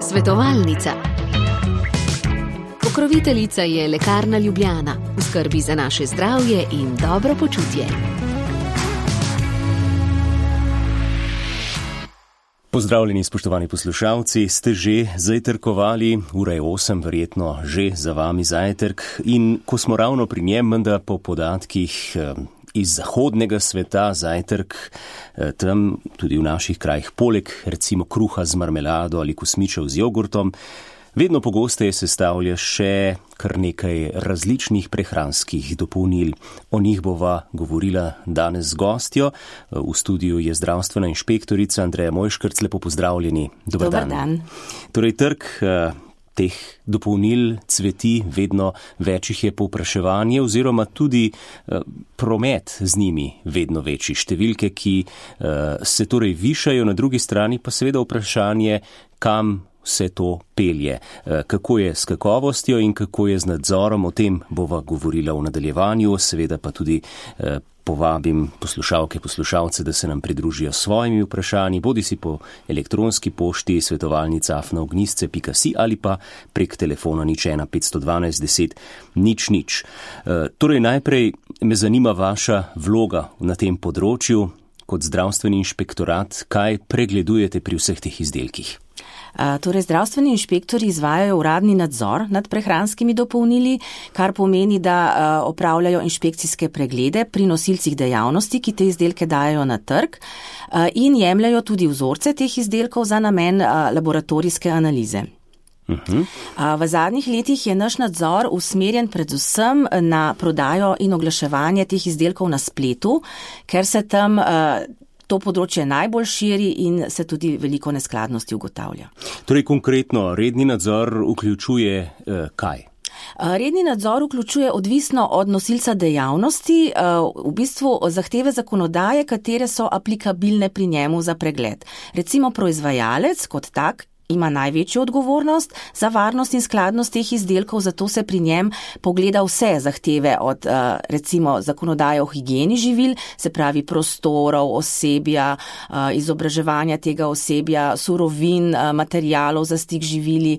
Svetovalnica. Pokroviteljica je Lekarna Ljubljana, v skrbi za naše zdravje in dobro počutje. Pozdravljeni, spoštovani poslušalci, ste že zajtrkovali, ura je 8, verjetno že za vami zajtrk, in ko smo ravno pri njem, menda po podatkih iz zahodnega sveta zajtrk, tam tudi v naših krajih, poleg recimo kruha z marmelado ali kosmičev z jogurtom, vedno pogosteje sestavlja še kar nekaj različnih prehranskih dopolnil. O njih bova govorila danes z gostjo. V studiu je zdravstvena inšpektorica Andreja Mojškrc. Lepo pozdravljeni. Dobar dan. Torej, trg teh dopolnil cveti, vedno večjih je povpraševanje oziroma tudi promet z njimi vedno večji. Številke, ki se torej višajo, na drugi strani pa seveda vprašanje, kam vse to pelje. Kako je s kakovostjo in kako je z nadzorom, o tem bova govorila v nadaljevanju, seveda pa tudi povabim poslušalce, da se nam pridružijo s svojimi vprašanji, bodisi po elektronski pošti svetovalnica@ognisce.si ali pa prek telefona 01 512 10 00. Torej najprej me zanima vaša vloga na tem področju kot zdravstveni inšpektorat. Kaj pregledujete pri vseh teh izdelkih? Torej, zdravstveni inšpektori izvajajo uradni nadzor nad prehranskimi dopolnili, kar pomeni, da opravljajo inšpekcijske preglede pri nosilcih dejavnosti, ki te izdelke dajo na trg, in jemljajo tudi vzorce teh izdelkov za namen laboratorijske analize. V zadnjih letih je naš nadzor usmerjen predvsem na prodajo in oglaševanje teh izdelkov na spletu, ker se tam to področje najbolj širi in se tudi veliko neskladnosti ugotavlja. Torej, konkretno, redni nadzor vključuje kaj? Redni nadzor vključuje odvisno od nosilca dejavnosti, v bistvu zahteve zakonodaje, katere so aplikabilne pri njemu za pregled. Recimo proizvajalec kot tak ima največjo odgovornost za varnost in skladnost teh izdelkov, zato se pri njem pogleda vse zahteve od recimo zakonodaje o higieni živil, se pravi prostorov, osebja, izobraževanja tega osebja, surovin, materialov za stik živili.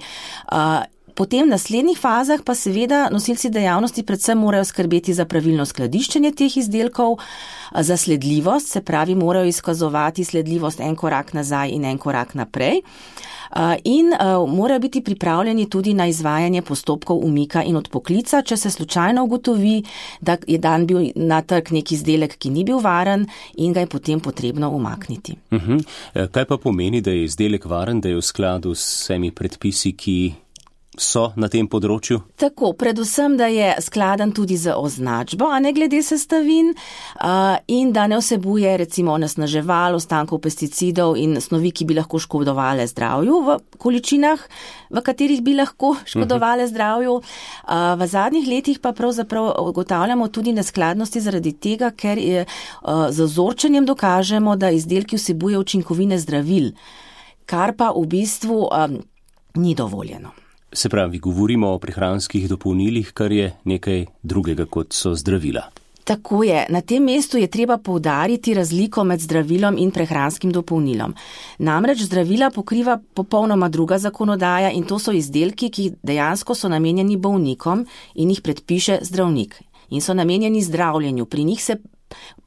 Potem v naslednjih fazah pa seveda nosilci dejavnosti predvsem morajo skrbeti za pravilno skladiščenje teh izdelkov, za sledljivost, se pravi morajo izkazovati sledljivost en korak nazaj in en korak naprej. In morajo biti pripravljeni tudi na izvajanje postopkov umika in odpoklica, če se slučajno ugotovi, da je dan bil na trg nek izdelek, ki ni bil varen in ga je potem potrebno umakniti. Kaj pa pomeni, da je izdelek varen, da je v skladu s vsemi predpisi, ki so na tem področju? Tako, predvsem, da je skladen tudi z označbo, a ne glede sestavin, in da ne vsebuje recimo onesnaževal, ostankov pesticidov in snovi, ki bi lahko škodovale zdravju v količinah, v katerih bi lahko škodovale zdravju. V zadnjih letih pa pravzaprav ugotavljamo tudi neskladnosti zaradi tega, ker z vzorčenjem dokažemo, da izdelki vsebuje učinkovine zdravil, kar pa v bistvu ni dovoljeno. Se pravi, govorimo o prehranskih dopolnilih, kar je nekaj drugega, kot so zdravila. Tako je. Na tem mestu je treba poudariti razliko med zdravilom in prehranskim dopolnilom. Namreč zdravila pokriva popolnoma druga zakonodaja in to so izdelki, ki dejansko so namenjeni bolnikom in jih predpiše zdravnik. In so namenjeni zdravljenju. Pri njih se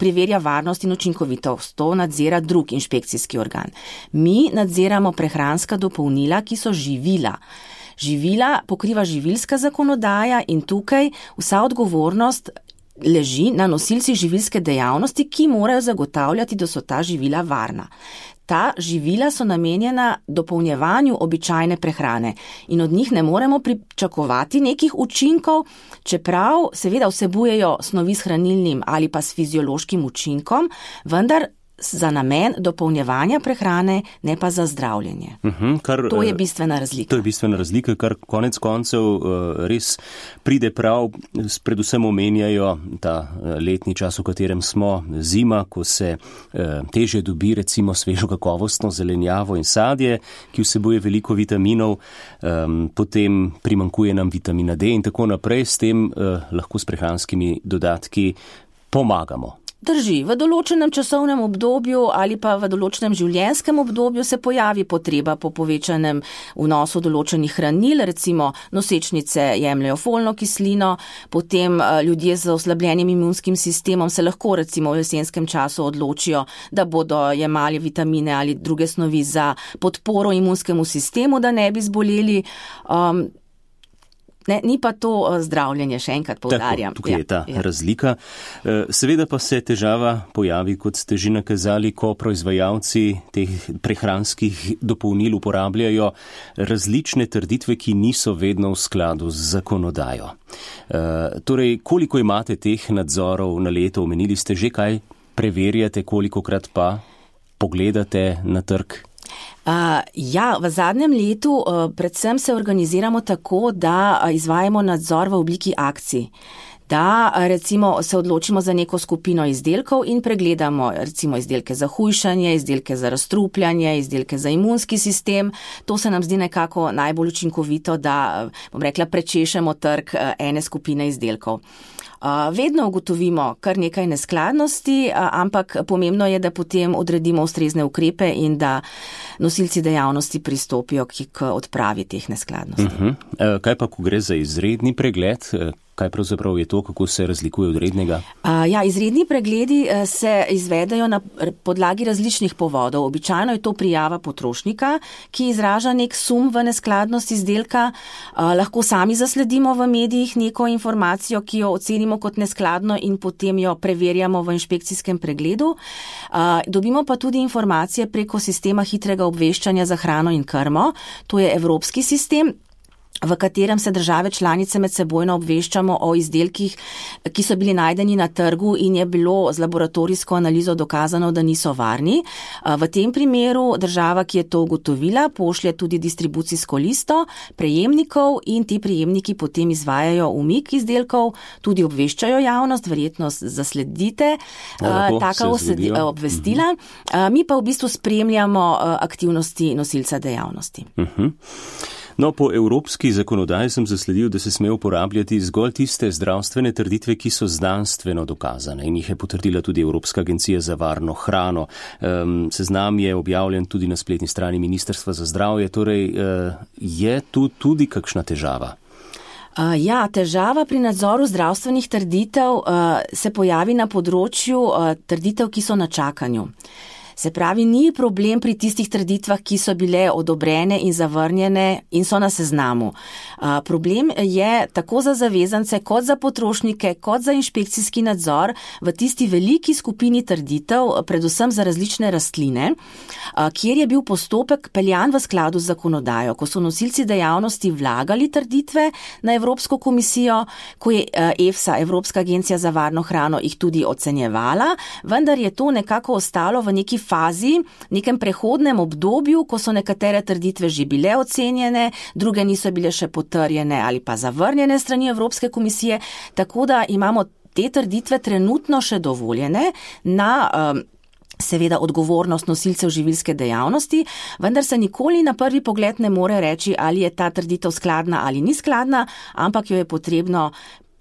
preverja varnost in učinkovitost. To nadzira drug inšpekcijski organ. Mi nadziramo prehranska dopolnila, ki so živila. Živila pokriva živilska zakonodaja in tukaj vsa odgovornost leži na nosilcih živilske dejavnosti, ki morajo zagotavljati, da so ta živila varna. Ta živila so namenjena dopolnjevanju običajne prehrane in od njih ne moremo pričakovati nekih učinkov, čeprav seveda vsebujejo snovi s hranilnim ali pa s fiziološkim učinkom, vendar za namen dopolnjevanja prehrane, ne pa za zdravljenje. To je bistvena razlika. To je bistvena razlika, kar konec koncev res pride prav. Predvsem omenjajo ta letni čas, v katerem smo, zima, ko se težje dobi recimo svežo kakovostno zelenjavo in sadje, ki vsebuje veliko vitaminov, potem primanjkuje nam vitamina D in tako naprej. S tem lahko s prehranskimi dodatki pomagamo. Drži, v določenem časovnem obdobju ali pa v določenem življenjskem obdobju se pojavi potreba po povečanem vnosu določenih hranil, recimo nosečnice jemljajo folno kislino, potem ljudje z oslabljenim imunskim sistemom se lahko recimo v jesenskem času odločijo, da bodo jemali vitamine ali druge snovi za podporo imunskemu sistemu, da ne bi zboleli. Ni pa to zdravljenje, še enkrat poudarjam. Tako, tukaj je ta razlika. Seveda pa se težava pojavi, kot ste že nakazali, ko proizvajalci teh prehranskih dopolnil uporabljajo različne trditve, ki niso vedno v skladu z zakonodajo. Torej, koliko imate teh nadzorov na leto? Omenili ste že, kaj preverjate, kolikokrat pa pogledate na trg? V zadnjem letu predvsem se organiziramo tako, da izvajamo nadzor v obliki akcij. Da recimo se odločimo za neko skupino izdelkov in pregledamo recimo izdelke za hujšanje, izdelke za razstrupljanje, izdelke za imunski sistem. To se nam zdi nekako najbolj učinkovito, da, bom rekla, prečešemo trg ene skupine izdelkov. Vedno ugotovimo kar nekaj neskladnosti, ampak pomembno je, da potem odredimo ustrezne ukrepe in da nosilci dejavnosti pristopijo k odpravi teh neskladnosti. Kaj pa, ko gre za izredni pregled? Kaj pravzaprav je to, kako se razlikuje od rednega? Izredni pregledi se izvedajo na podlagi različnih povodov. Običajno je to prijava potrošnika, ki izraža nek sum v neskladnost izdelka. Lahko sami zasledimo v medijih neko informacijo, ki jo ocenimo kot neskladno in potem jo preverjamo v inšpekcijskem pregledu. Dobimo pa tudi informacije preko sistema hitrega obveščanja za hrano in krmo. To je evropski sistem, v katerem se države članice med sebojno obveščamo o izdelkih, ki so bili najdeni na trgu in je bilo z laboratorijsko analizo dokazano, da niso varni. V tem primeru država, ki je to ugotovila, pošlje tudi distribucijsko listo prejemnikov in ti prejemniki potem izvajajo umik izdelkov, tudi obveščajo javnost, verjetno zasledite taka obvestila. Mi pa v bistvu spremljamo aktivnosti nosilca dejavnosti. No, po evropski zakonodaji sem zasledil, da se sme uporabljati zgolj tiste zdravstvene trditve, ki so znanstveno dokazane in jih je potrdila tudi Evropska agencija za varno hrano. Seznam je objavljen tudi na spletni strani Ministrstva za zdravje, torej je tu tudi kakšna težava? Težava pri nadzoru zdravstvenih trditev se pojavi na področju trditev, ki so na čakanju. Se pravi, ni problem pri tistih trditvah, ki so bile odobrene in zavrnjene in so na seznamu. Problem je tako za zavezance, kot za potrošnike, kot za inšpekcijski nadzor v tisti veliki skupini trditev, predvsem za različne rastline, kjer je bil postopek peljan v skladu z zakonodajo, ko so nosilci dejavnosti vlagali trditve na Evropsko komisijo, ko je EFSA, Evropska agencija za varno hrano, jih tudi ocenjevala, vendar je to nekako ostalo v neki fazi, nekem prehodnem obdobju, ko so nekatere trditve že bile ocenjene, druge niso bile še potrjene ali pa zavrnjene strani Evropske komisije, tako da imamo te trditve trenutno še dovoljene na seveda odgovornost nosilcev živilske dejavnosti, vendar se nikoli na prvi pogled ne more reči, ali je ta trditev skladna ali ni skladna, ampak jo je potrebno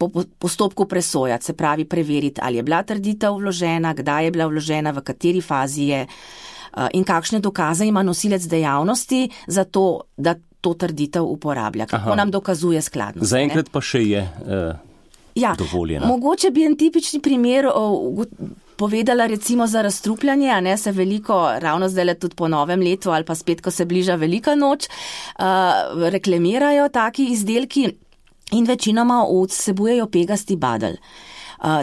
po postopku presojati, se pravi preveriti, ali je bila trditev vložena, kdaj je bila vložena, v kateri fazi je in kakšne dokaze ima nosilec dejavnosti za to, da to trditev uporablja, kako nam dokazuje skladnost. Zaenkrat pa še je dovoljena. Mogoče bi en tipični primer povedala recimo za razstrupljanje, se veliko, ravno zdaj tudi po novem letu ali pa spet, ko se bliža velika noč, reklamirajo taki izdelki, in večinoma vsebujejo pegasti badelj.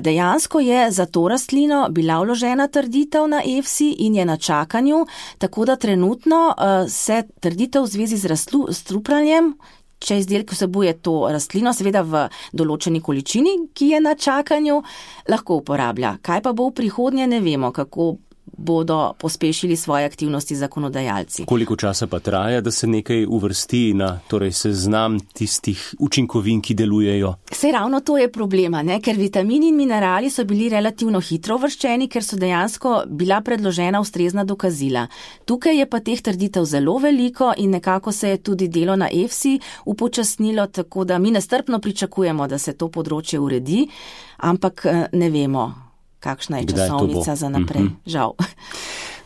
Dejansko je za to rastlino bila vložena trditev na EFSI in je na čakanju, tako da trenutno se trditev v zvezi z razstrupljanjem, če izdelek vsebuje to rastlino, seveda v določeni količini, ki je na čakanju, lahko uporablja. Kaj pa bo v prihodnje, ne vemo, kako bodo pospešili svoje aktivnosti zakonodajalci. Koliko časa pa traja, da se nekaj uvrsti na seznam tistih učinkovin, ki delujejo? Saj ravno to je problema, ker vitamini in minerali so bili relativno hitro uvrščeni, ker so dejansko bila predložena ustrezna dokazila. Tukaj je pa teh trditev zelo veliko in nekako se je tudi delo na EFSI upočasnilo, tako da mi nestrpno pričakujemo, da se to področje uredi, ampak ne vemo. kakšna je časovnica za naprej. Žal.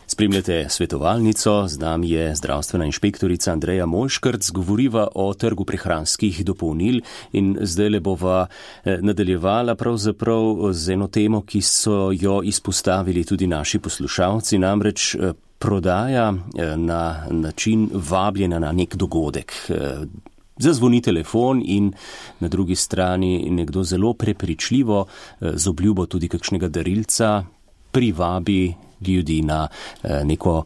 Spremljate svetovalnico, z nami je zdravstvena inšpektorica Andreja Mojškrc, govoriva o trgu prehranskih dopolnil in zdaj bova nadaljevala pravzaprav z eno temo, ki so jo izpostavili tudi naši poslušalci, namreč prodaja na način vabljena na nek dogodek. Zazvoni telefon in na drugi strani nekdo zelo prepričljivo z obljubo tudi kakšnega darilca privabi ljudi na neko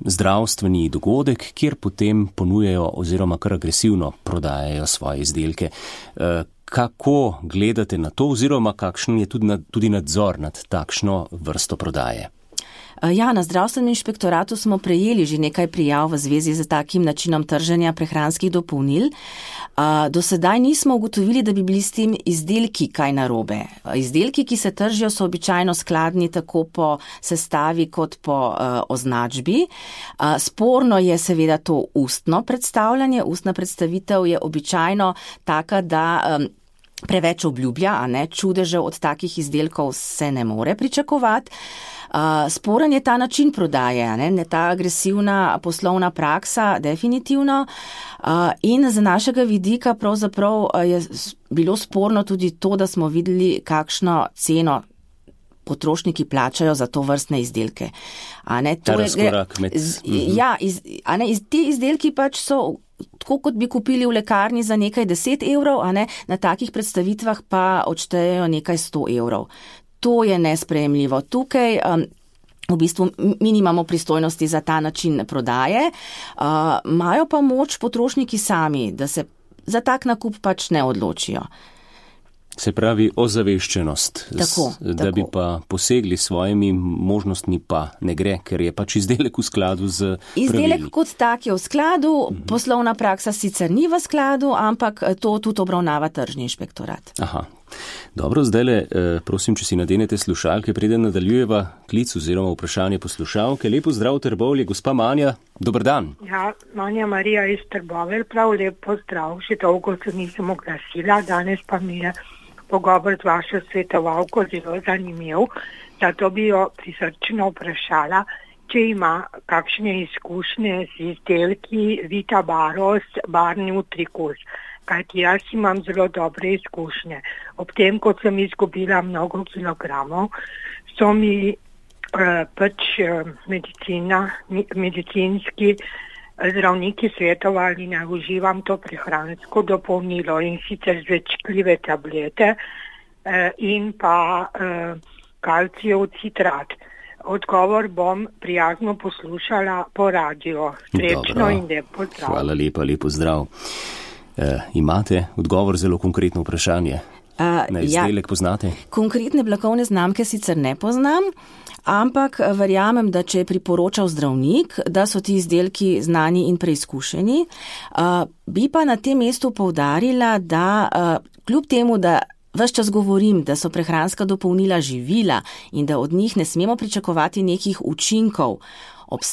zdravstveni dogodek, kjer potem ponujajo oziroma kar agresivno prodajajo svoje izdelke. Kako gledate na to oziroma kakšen je tudi nadzor nad takšno vrsto prodaje? Ja, na zdravstvenem inšpektoratu smo prejeli že nekaj prijav v zvezi z takim načinom trženja prehranskih dopolnil. Do sedaj nismo ugotovili, da bi bili s tem izdelki kaj narobe. Izdelki, ki se tržijo, so običajno skladni tako po sestavi kot po označbi. Sporno je seveda to ustno predstavljanje. Ustna predstavitev je običajno taka, da preveč obljublja, a ne, čudežev od takih izdelkov se ne more pričakovati. Sporen je ta način prodaje, ne, ta agresivna poslovna praksa, definitivno. In z našega vidika pravzaprav je bilo sporno tudi to, da smo videli, kakšno ceno potrošniki plačajo za to vrstne izdelke. Ta razkorak med... Ti izdelki pač so tako, kot bi kupili v lekarni za nekaj 10 evrov, na takih predstavitvah pa odštejejo nekaj 100 evrov. To je nesprejemljivo. Tukaj v bistvu mi nimamo pristojnosti za ta način prodaje, imajo pa moč potrošniki sami, da se za tak nakup pač ne odločijo. Se pravi ozaveščenost, da bi pa posegli svojimi možnostmi pa ne gre, ker je pač izdelek v skladu z pravili. Izdelek kot tak je v skladu, poslovna praksa sicer ni v skladu, ampak to tudi obravnava tržni inšpektorat. Aha. Dobro, zdajle, prosim, če si nadenete slušalke, preden nadaljujeva klic oziroma vprašanje poslušalke. Lepo zdrav Trbovlje, gospa Manja, dober dan. Ja, Manja Marija iz Trbovelj, prav lepo zdrav, še dolgo se nisem oglasila, danes pa mi je pogovor z vašo svetovalko zelo zanimiv, zato bi jo prisrčno vprašala, če ima kakšne izkušnje z izdelki Vita Baros, barni utrikus. Kajti jaz imam zelo dobre izkušnje. Ob tem, ko sem izgubila mnogo kilogramov, so mi medicinski zdravniki svetovali, naj uživam to prehransko dopolnilo in sicer zvečkljive tablete in pa kalcijev citrat. Odgovor bom prijazno poslušala po radiju. Srečno in lep pozdrav. Hvala lepa, lepo zdrav. Imate odgovor zelo konkretno vprašanje? Na izdelek poznate? Konkretne blagovne znamke sicer ne poznam, ampak verjamem, da če je priporočal zdravnik, da so ti izdelki znani in preizkušeni. Bi pa na tem mestu poudarila, da kljub temu, da ves čas govorim, da so prehranska dopolnila živila in da od njih ne smemo pričakovati nekih učinkov,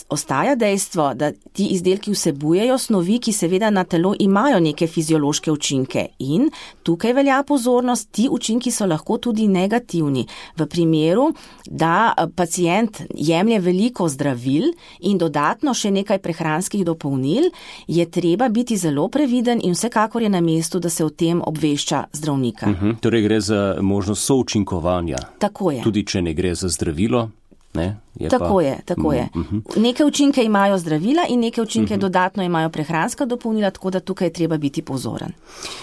ostaja dejstvo, da ti izdelki vsebujejo snovi, ki seveda na telo imajo neke fiziološke učinke in tukaj velja pozornost, ti učinki so lahko tudi negativni. V primeru, da pacient jemlje veliko zdravil in dodatno še nekaj prehranskih dopolnil, je treba biti zelo previden in vsekakor je na mestu, da se o tem obvešča zdravnika. Torej gre za možnost součinkovanja. Tako je. Tudi če ne gre za zdravilo. Tako je. Neke učinke imajo zdravila in neke učinke dodatno imajo prehranska dopolnila, tako da tukaj je treba biti pozoren.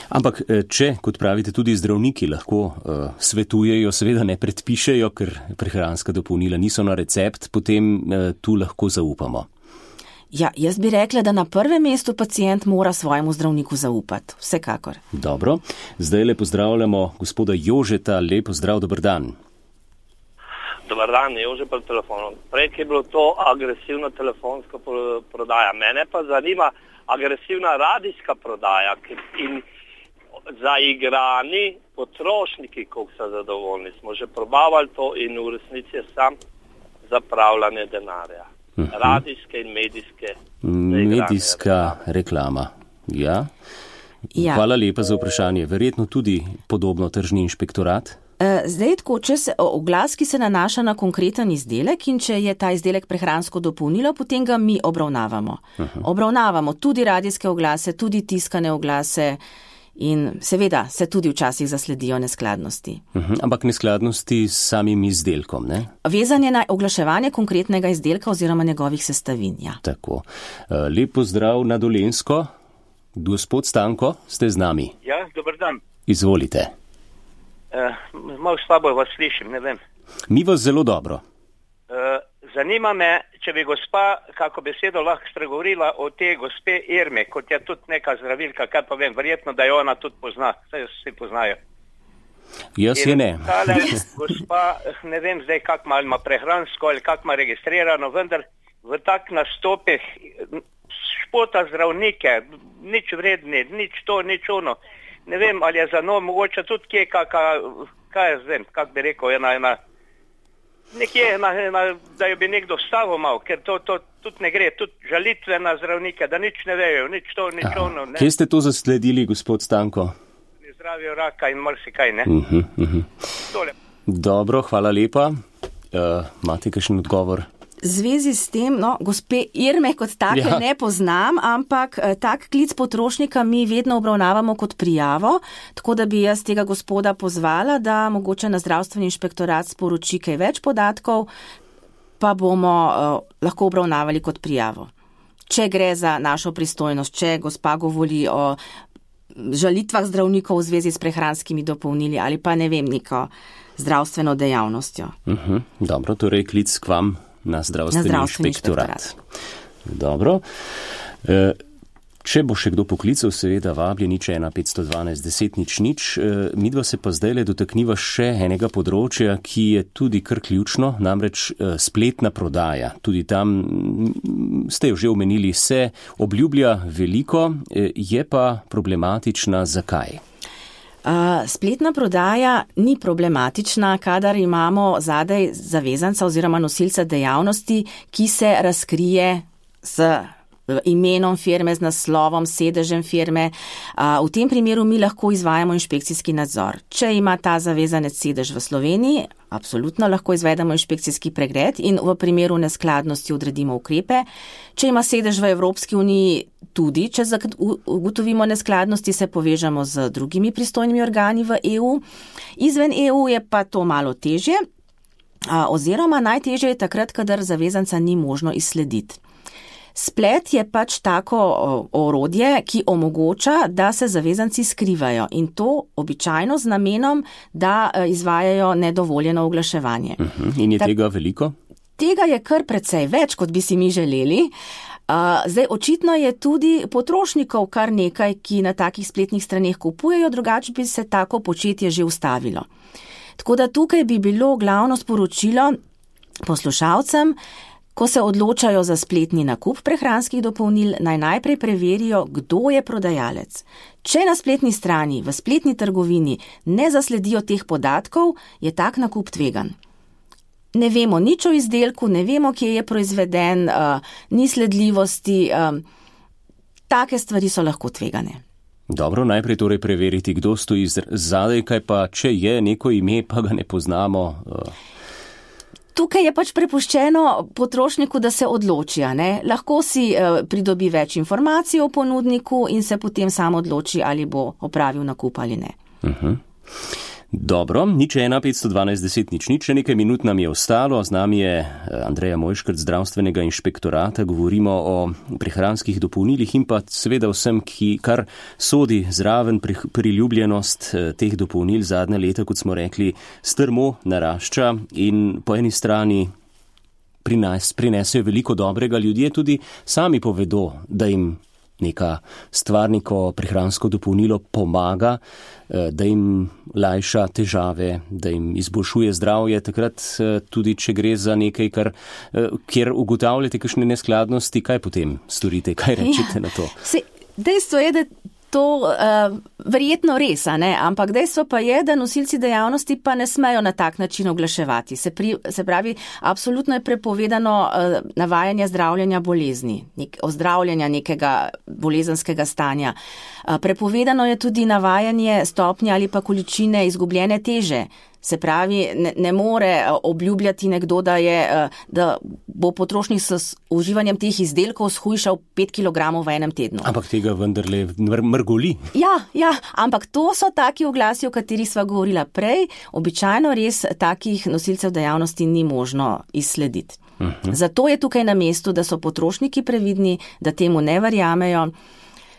Ampak če, kot pravite, tudi zdravniki lahko svetujejo, seveda ne predpišejo, ker prehranska dopolnila niso na recept, potem tu lahko zaupamo. Ja, jaz bi rekla, da na prvem mestu pacient mora svojemu zdravniku zaupati. Vsekakor. Dobro, zdaj pozdravljamo gospoda Jožeta. Lepo zdrav, dober dan. Dobar dan, Jože pa telefonom. Prej je bilo to agresivna telefonska prodaja. Mene pa zanima agresivna radijska prodaja in zaigrani potrošniki, koliko so zadovoljni. Smo že probavali to in v resnici je sam zapravljanje denarja. Radijske in medijske. Medijska reklama, ja. Hvala lepa za vprašanje. Verjetno tudi podobno tržni inšpektorat? Zdaj, tako, če se oglas, ki se nanaša na konkreten izdelek in če je ta izdelek prehransko dopolnilo, potem ga mi obravnavamo. Obravnavamo tudi radijske oglase, tudi tiskane oglase in seveda se tudi včasih zasledijo neskladnosti. Ampak neskladnosti s samim izdelkom, ne? Vezanje na oglaševanje konkretnega izdelka oziroma njegovih sestavin, ja. Tako. Lep pozdrav na Dolenjsko. Gospod Stanko, ste z nami. Ja, dober dan. Izvolite. Malo slabo vas slišim, ne vem. Mi vas zelo dobro. Zanima me, če bi gospa kako besedo lahko spregovorila o te gospe Irme, kot je tudi neka zdravilka, kaj pa vem, verjetno, da jo ona tudi pozna, saj vsi poznajo. Jaz je ne. Tale gospa, ne vem zdaj, kak malo ima prehransko ali kak ima registrirano, vendar v tak nastopih špota zdravnike, nič vredni, nič to, nič ono. Ne vem, ali je za njo mogoče tudi kje kaj jaz vem, kak bi rekel, nekje, da jo bi nekdo vstavil malo, ker to tudi ne gre, tudi žalitve na zdravnike, da nič ne vejo, nič to, nič ono. Ne. Kje ste to zasledili, gospod Stanko? Ne zdravijo raka in marsikaj, ne. Dobro, hvala lepa. Imate kakšen odgovor? V zvezi s tem, gospe Irme kot take ne poznam, ampak tak klic potrošnika mi vedno obravnavamo kot prijavo, tako da bi jaz tega gospoda pozvala, da mogoče na zdravstveni inšpektorat sporoči kaj več podatkov, pa bomo lahko obravnavali kot prijavo. Če gre za našo pristojnost, če gospa govori o žalitvah zdravnikov v zvezi s prehranskimi dopolnili ali pa ne vem, neko zdravstveno dejavnostjo. Dobro, torej klic k vam na zdravstveni inšpektorat. Dobro. Če bo še kdo poklical, seveda vabljeni, če 1-512-10-0. Midva se pa zdajle dotakniva še enega področja, ki je tudi kar ključno, namreč spletna prodaja. Tudi tam ste jo že omenili, se obljublja veliko, je pa problematična. Zakaj? Spletna prodaja ni problematična, kadar imamo zadaj zavezanca oziroma nosilca dejavnosti, ki se razkrije z imenom firme, z naslovom, sedežem firme. V tem primeru mi lahko izvajamo inšpekcijski nadzor. Če ima ta zavezanec sedež v Sloveniji, absolutno lahko izvedemo inšpekcijski pregled in v primeru neskladnosti odredimo ukrepe. Če ima sedež v Evropski uniji, tudi če ugotovimo neskladnosti, se povežemo z drugimi pristojnimi organi v EU. Izven EU je pa to malo težje, oziroma najtežje je takrat, kadar zavezanca ni možno izslediti. Splet je pač tako orodje, ki omogoča, da se zavezanci skrivajo in to običajno z namenom, da izvajajo nedovoljeno oglaševanje. In je tega veliko? Tega je kar precej več, kot bi si mi želeli. Zdaj, očitno je tudi potrošnikov kar nekaj, ki na takih spletnih straneh kupujejo, drugače bi se tako početje že ustavilo. Tako da tukaj bi bilo glavno sporočilo poslušalcem, ko se odločajo za spletni nakup prehranskih dopolnil, naj najprej preverijo, kdo je prodajalec. Če na spletni strani, v spletni trgovini ne zasledijo teh podatkov, je tak nakup tvegan. Ne vemo nič o izdelku, ne vemo, kje je proizveden, ni sledljivosti, take stvari so lahko tvegane. Dobro, najprej torej preveriti, kdo stoji zadaj, kaj pa, če je neko ime, pa ga ne poznamo. Tukaj je pač prepuščeno potrošniku, da se odloči, ne? Lahko si pridobi več informacij o ponudniku in se potem sam odloči, ali bo opravil nakup ali ne. Dobro, 015121000, še nekaj minut nam je ostalo. Z nami je Andreja Mojškrt, zdravstvenega inšpektorata. Govorimo o prehranskih dopolnilih in pa seveda vsem, kar sodi zraven priljubljenost teh dopolnil zadnje leta, kot smo rekli, strmo narašča in po eni strani prinesejo veliko dobrega. Ljudje tudi sami povedo, da jim neka stvar, neko prehransko dopolnilo pomaga, da jim lajša težave, da jim izboljšuje zdravje, takrat tudi, če gre za nekaj, kjer ugotavljate kakšne neskladnosti, kaj potem storite, kaj rečete na to? Dejstvo je, da to verjetno res, ne? Ampak dejstvo pa je, da nosilci dejavnosti pa ne smejo na tak način oglaševati. Se pravi, absolutno je prepovedano navajanje zdravljenja bolezni, ozdravljanja nekega bolezenskega stanja. Prepovedano je tudi navajanje stopnje ali pa količine izgubljene teže. Se pravi, ne more obljubljati nekdo, da bo potrošnik s uživanjem teh izdelkov shujšal 5 kg v enem tednu. Ampak tega vendarle mrgoli. Ja, ampak to so taki oglasi, o katerih sva govorila prej. Običajno res takih nosilcev dejavnosti ni možno izslediti. Zato je tukaj na mestu, da so potrošniki previdni, da temu ne verjamejo.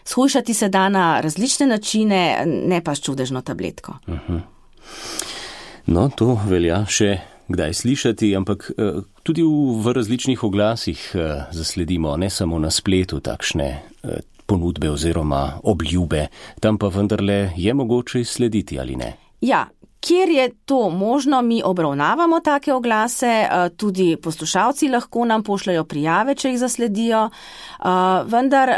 Shujšati se da na različne načine, ne pa s čudežno tabletko. No, to velja še kdaj slišati, ampak tudi v različnih oglasih zasledimo, ne samo na spletu, takšne ponudbe oziroma obljube. Tam pa vendarle je mogoče izslediti, ali ne? Ja. Kjer je to možno, mi obravnavamo take oglase, tudi poslušalci lahko nam pošljajo prijave, če jih zasledijo, vendar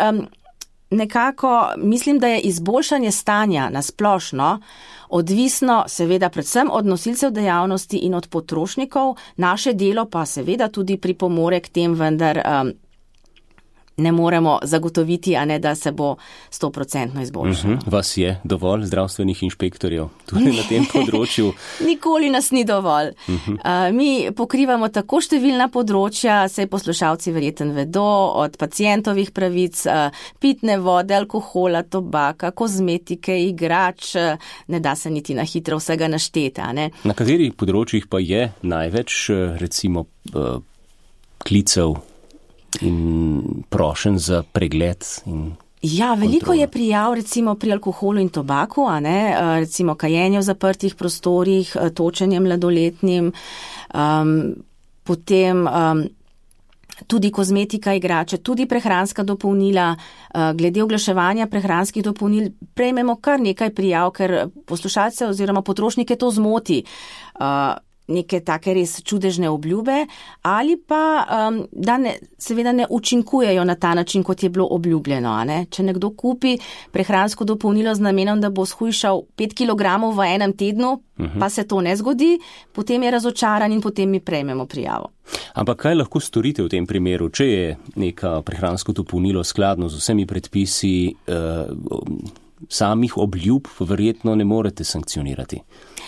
nekako mislim, da je izboljšanje stanja na splošno odvisno seveda predvsem od nosilcev dejavnosti in od potrošnikov, naše delo pa seveda tudi pripomore k tem, vendar ne moremo zagotoviti, a ne da se bo 100% izboljšalo. Vas je dovolj zdravstvenih inšpektorjev tudi na tem področju? Nikoli nas ni dovolj. Mi pokrivamo tako številna področja, saj poslušalci verjetno vedo, od pacientovih pravic, pitne vode, alkohola, tobaka, kozmetike, igrač, ne da se niti na hitro vsega našteti. Na katerih področjih pa je največ recimo klicev in prošen za pregled in Ja, veliko je prijav recimo pri alkoholu in tobaku, recimo kajenje v zaprtih prostorih, točenje mladoletnim, potem tudi kozmetika, igrače, tudi prehranska dopolnila. Glede oglaševanja prehranskih dopolnil prejmemo kar nekaj prijav, ker poslušalce oziroma potrošnike to zmoti. Neke take res čudežne obljube ali pa, da seveda ne učinkujejo na ta način, kot je bilo obljubljeno. Če nekdo kupi prehransko dopolnilo z namenom, da bo shujšal 5 kg v enem tednu, pa se to ne zgodi, potem je razočaran in potem mi prejmemo prijavo. Ampak kaj lahko storite v tem primeru, če je neka prehransko dopolnilo skladno z vsemi predpisi, samih obljub verjetno ne morete sankcionirati?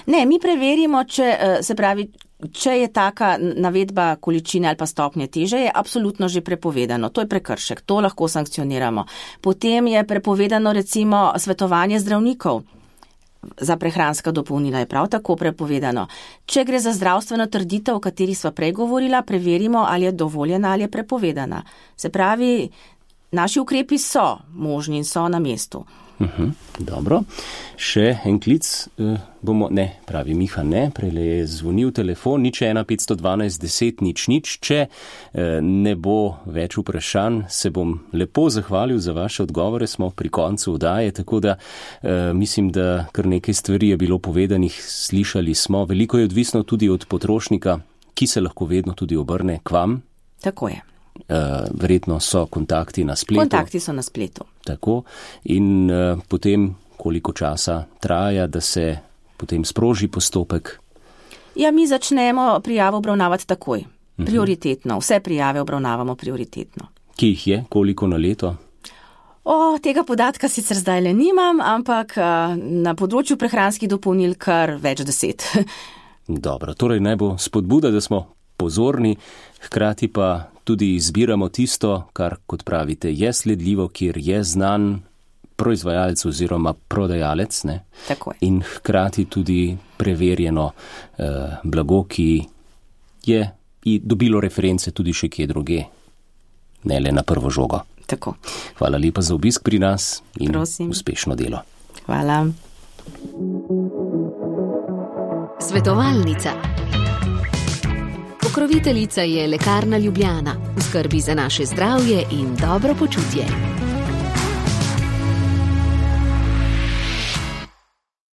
Ne, mi preverimo, če je taka navedba količine ali pa stopnje teže, je absolutno že prepovedano. To je prekršek, to lahko sankcioniramo. Potem je prepovedano recimo svetovanje zdravnikov. Za prehranska dopolnila je prav tako prepovedano. Če gre za zdravstveno trditev, o kateri sva prej govorila, preverimo, ali je dovoljena ali je prepovedana. Se pravi, naši ukrepi so možni in so na mestu. Dobro. Še en klic bomo, pravi Miha, prejle je zvonil telefon, 01 512 10 00. Če ne bo več vprašanj, se bom lepo zahvalil za vaše odgovore, smo pri koncu oddaje, tako da mislim, da kar nekaj stvari je bilo povedanih, slišali smo, veliko je odvisno tudi od potrošnika, ki se lahko vedno tudi obrne k vam. Tako je. Verjetno so kontakti na spletu. Kontakti so na spletu. Tako. In potem, koliko časa traja, da se potem sproži postopek? Ja, mi začnemo prijavo obravnavati takoj. Prioritetno. Vse prijave obravnavamo prioritetno. Ki jih je? Koliko na leto? Tega podatka sicer zdaj le nimam, ampak na področju prehranskih dopolnil kar več 10. Dobro, torej naj bo spodbuda, da smo pozorni, hkrati pa tudi izbiramo tisto, kar, kot pravite, je sledljivo, kjer je znan proizvajalec oziroma prodajalec, Tako je. In hkrati tudi preverjeno blago, ki je dobilo reference tudi še kje druge, ne le na prvo žogo. Tako. Hvala lepa za obisk pri nas in Prosim. Uspešno delo. Hvala. Svetovalnica. Pokroviteljica je Lekarna Ljubljana. V skrbi za naše zdravje in dobro počutje.